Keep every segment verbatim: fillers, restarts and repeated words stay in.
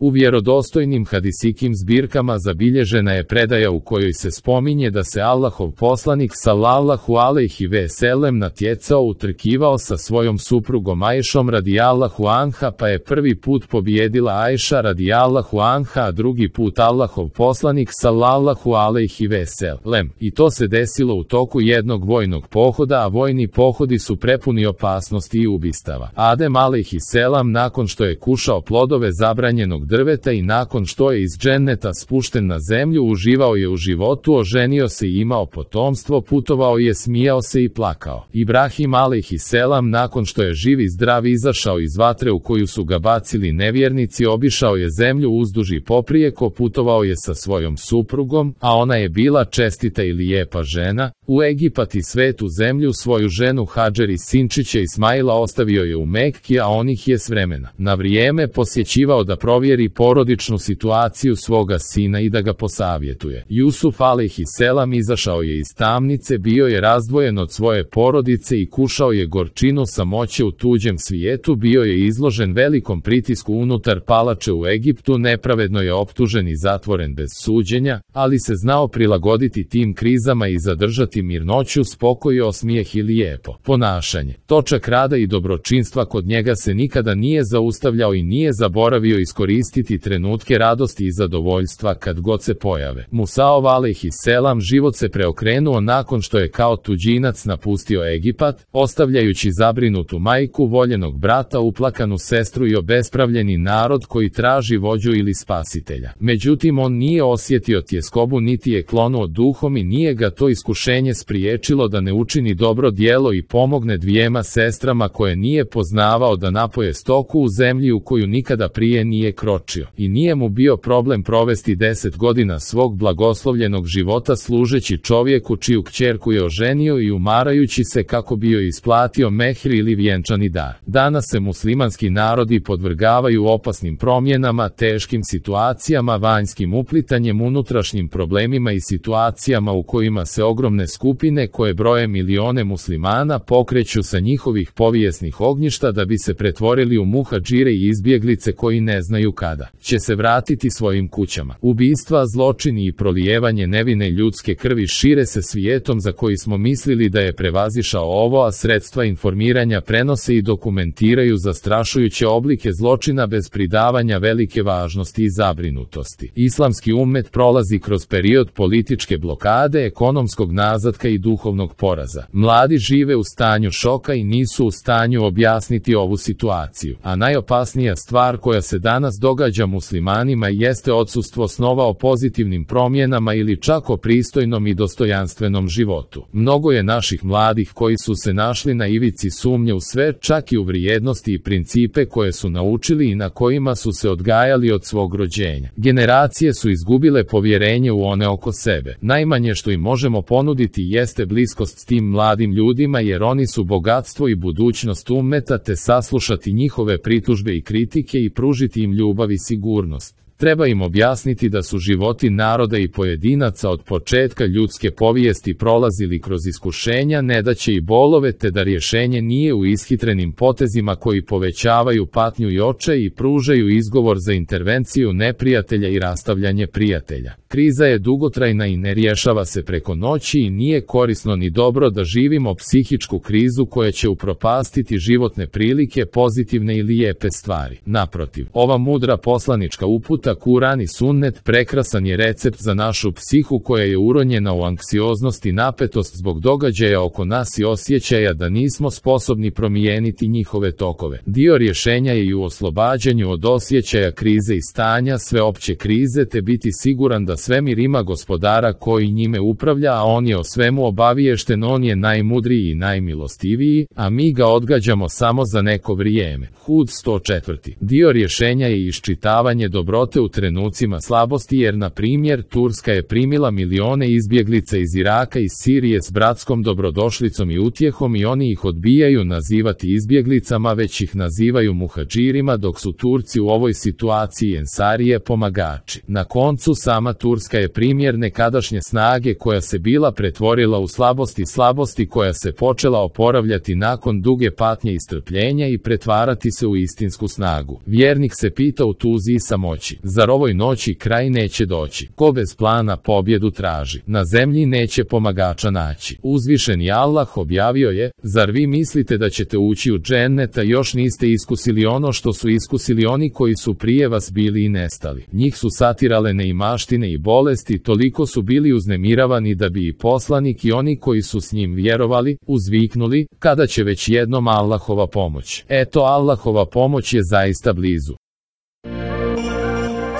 U vjerodostojnim hadisikim zbirkama zabilježena je predaja u kojoj se spominje da se Allahov poslanik sallallahu alejhi ve sellem natjecao, utrkivao sa svojom suprugom Ajšom radijallahu anha, pa je prvi put pobijedila Ajša radijallahu anha, a drugi put Allahov poslanik sallallahu alejhi ve sellem. I to se desilo u toku jednog vojnog pohoda, a vojni pohodi su prepuni opasnosti i ubistava. Adem alejhi selam, nakon što je kušao plodove zabranjenog drveta i nakon što je iz dženneta spušten na zemlju, uživao je u životu, oženio se i imao potomstvo, putovao je, smijao se i plakao. Ibrahim alejhi selam, nakon što je živ i zdrav izašao iz vatre u koju su ga bacili nevjernici, obišao je zemlju uzduž i poprijeko, putovao je sa svojom suprugom, a ona je bila čestita i lijepa žena, u Egipat i svetu zemlju. Svoju ženu Hadžer i sinčića Ismaila ostavio je u Mekki, a on ih je s vremena na vrijeme posjećivao da provjeri porodičnu situaciju svoga sina i da ga posavjetuje. Jusuf alejhi selam izašao je iz tamnice, bio je razdvojen od svoje porodice i kušao je gorčinu samoće u tuđem svijetu, bio je izložen velikom pritisku unutar palače u Egiptu, nepravedno je optužen i zatvoren bez suđenja, ali se znao prilagoditi tim krizama i zadržati mirnoću, spokoj, osmijeh i lijepo ponašanje. Točak rada i dobročinstva kod njega se nikada nije zaustavljao i nije zaboravio iskoristiti trenutke radosti i zadovoljstva kad god se pojave. Musaov alejhi selam život se preokrenuo nakon što je kao tuđinac napustio Egipat, ostavljajući zabrinutu majku, voljenog brata, uplakanu sestru i obespravljeni narod koji traži vođu ili spasitelja. Međutim, on nije osjetio tjeskobu niti je klonuo duhom i nije ga to iskušenje spriječilo da ne učini dobro djelo i pomogne dvijema sestrama koje nije poznavao da napoje stoku u zemlji u koju nikada prije nije kročio. I nije mu bio problem provesti deset godina svog blagoslovljenog života služeći čovjeku čiju kćerku je oženio i umarajući se kako bi joj isplatio mehr ili vjenčani dar. Danas se muslimanski narodi podvrgavaju opasnim promjenama, teškim situacijama, vanjskim uplitanjem, unutrašnjim problemima i situacijama u kojima se ogromne skupine koje broje milione muslimana pokreću sa njihovih povijesnih ognjišta da bi se pretvorili u muhadžire i izbjeglice koji ne znaju kada će se vratiti svojim kućama. Ubistva, zločini i prolijevanje nevine ljudske krvi šire se svijetom za koji smo mislili da je prevazišao ovo, a sredstva informiranja prenose i dokumentiraju zastrašujuće oblike zločina bez pridavanja velike važnosti i zabrinutosti. Islamski ummet prolazi kroz period političke blokade, ekonomskog nazatka i duhovnog poraza. Mladi žive u stanju šoka i nisu u stanju objasniti ovu situaciju. A najopasnija stvar koja se danas događa muslimanima jeste odsustvo snova o pozitivnim promjenama ili čak o pristojnom i dostojanstvenom životu. Mnogo je naših mladih koji su se našli na ivici sumnje u sve, čak i u vrijednosti i principe koje su naučili i na kojima su se odgajali od svog rođenja. Generacije su izgubile povjerenje u one oko sebe. Najmanje što im možemo ponuditi jeste bliskost s tim mladim ljudima, jer oni su bogatstvo i budućnost ummeta, te saslušati njihove pritužbe i kritike i pružiti im ljubav i sigurnost. Treba im objasniti da su životi naroda i pojedinaca od početka ljudske povijesti prolazili kroz iskušenja, nedaće i bolove, te da rješenje nije u ishitrenim potezima koji povećavaju patnju i očaj i pružaju izgovor za intervenciju neprijatelja i rastavljanje prijatelja. Kriza je dugotrajna i ne rješava se preko noći i nije korisno ni dobro da živimo psihičku krizu koja će upropastiti životne prilike, pozitivne i lijepe stvari. Naprotiv, ova mudra poslanička uputa Kuran i sunnet prekrasan je recept za našu psihu koja je uronjena u anksioznost i napetost zbog događaja oko nas i osjećaja da nismo sposobni promijeniti njihove tokove. Dio rješenja je i u oslobađanju od osjećaja krize i stanja sveopće krize, te biti siguran da svemir ima gospodara koji njime upravlja, a on je o svemu obaviješten, on je najmudriji i najmilostiviji, a mi ga odgađamo samo za neko vrijeme. Hud sto četiri. Dio rješenja je iščitavanje dobrote živote u trenucima slabosti jer, na primjer, Turska je primila milione izbjeglica iz Iraka i iz Sirije s bratskom dobrodošlicom i utjehom i oni ih odbijaju nazivati izbjeglicama, već ih nazivaju muhadžirima, dok su Turci u ovoj situaciji ensarije, pomagači. Na koncu, sama Turska je primjer nekadašnje snage koja se bila pretvorila u slabost i slabosti koja se počela oporavljati nakon duge patnje i strpljenja i pretvarati se u istinsku snagu. Vjernik se pita u tuzi i samoći: zar ovoj noći kraj neće doći? Ko bez plana pobjedu traži, na zemlji neće pomagača naći. Uzvišeni Allah objavio je: zar vi mislite da ćete ući u džennet, a još niste iskusili ono što su iskusili oni koji su prije vas bili i nestali? Njih su satirale neimaštine i bolesti, toliko su bili uznemiravani da bi i poslanik i oni koji su s njim vjerovali uzviknuli: kada će već jednom Allahova pomoć? Eto, Allahova pomoć je zaista blizu.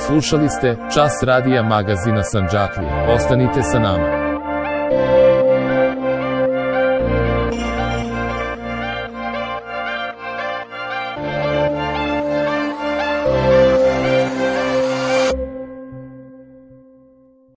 Slušali ste Čas radija magazina Sandžaklija. Ostanite sa nama.